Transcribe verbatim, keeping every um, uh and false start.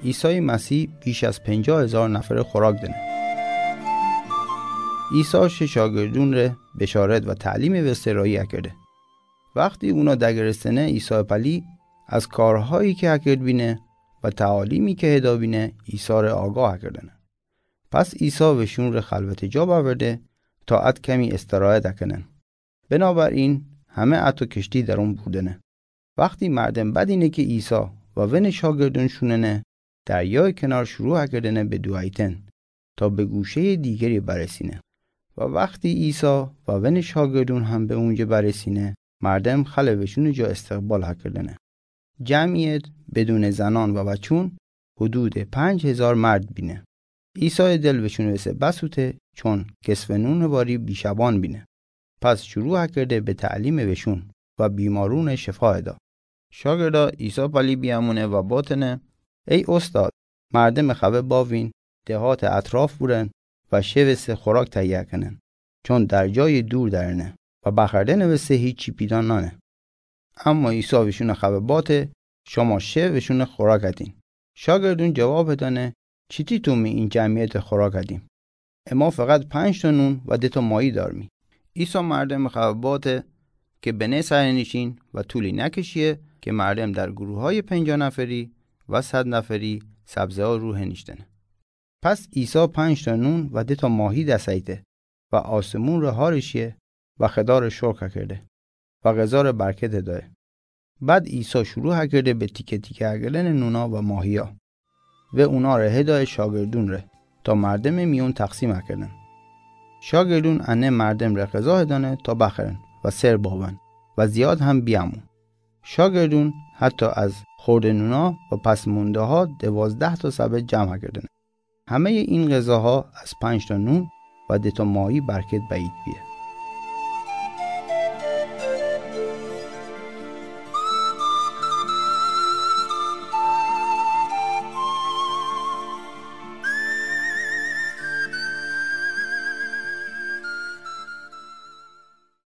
عیسی مسیح بیش از پنجاه هزار نفر خوراک دنه. عیسی شه شاگردون ره بشارت و تعلیم وسته راهی اکرده. وختی اونا دگرستنه، عیسی پلی از کارهایی که اکرد بینه و تعالیمی که هدا بینه، عیسی ره آگاه اکردنه. پس عیسی وشون ره خلوت جا بأورده تا اد کمی استراحت اکنن. بنابراین همه اتو کشتی درون بوردنه. وختی مردم بدینه که عیسی و ون شاگردون شوننه، دریای کنار شروع اکردنه به دوئیتن تا به گوشهٔ دیگری برسینه. و وختی عیسی و ون شاگردون هم به اونجه برسینه، مردم خلٚ وشونٚ جا استقبال اکردنه. جمعیت بدونٚ زنان و بچون حدودٚ پنج هزار مرد بینه. عیسی دل وشونٚ وسه بسوته، چون کسوه نونٚ واری بیشبان بینه. پس شروع اکرده به تعلیمٚ وشون و بیمارونٚ شفا دا. شاگردا عیسی پلی بیامونه و باتنه: ای اوستاد، مردمٚ خوه باوین دهاتٚ اطراف بورن و شه وسه خوراک تهیه کنن، چون در جایٚ دور درنه و بخوردنٚ وسه هیچی پیدا نانه. اما عیسی وشونٚ خوه باته: شما شه وشونٚ خوراک ادین. شاگردون جواب دانه: چیتی تومی این جمعیتٚ خوراک ادیم؟ اما فقط پنج تا نون و ده تا ماهی دارمی. عیسی مردمٚ خوه باته که بنه سرنیشین و طولی نکشیه که مردم در گروهایٚ پنجاه نفری و صد نفری سبزه ها رو هنیشتنه. پس عیسی پنج تا نون و ده تا ماهی دس ایته و آسمون ره هارشیه و خدا ره شکر اکرده و غذا ره برکت دایه. بعد عیسی شروع اکرده به تیکه تیکه اکردنٚ نونا و ماهیا و اونا ره هدایه شاگردون ره تا مردمٚ میون تقسیم اکردن. شاگردون انه مردم ره غذا هدانه تا بخورن و سر بابن و زیاد هم بیامو. شاگردون حتی از خورده‌نونا و پس‌مونده‌ها دوازده تا سبد جمع اکردنه. همه‌یٚ این غذاها از پنج تا نون و ده تا ماهی برکت بأیید بیه.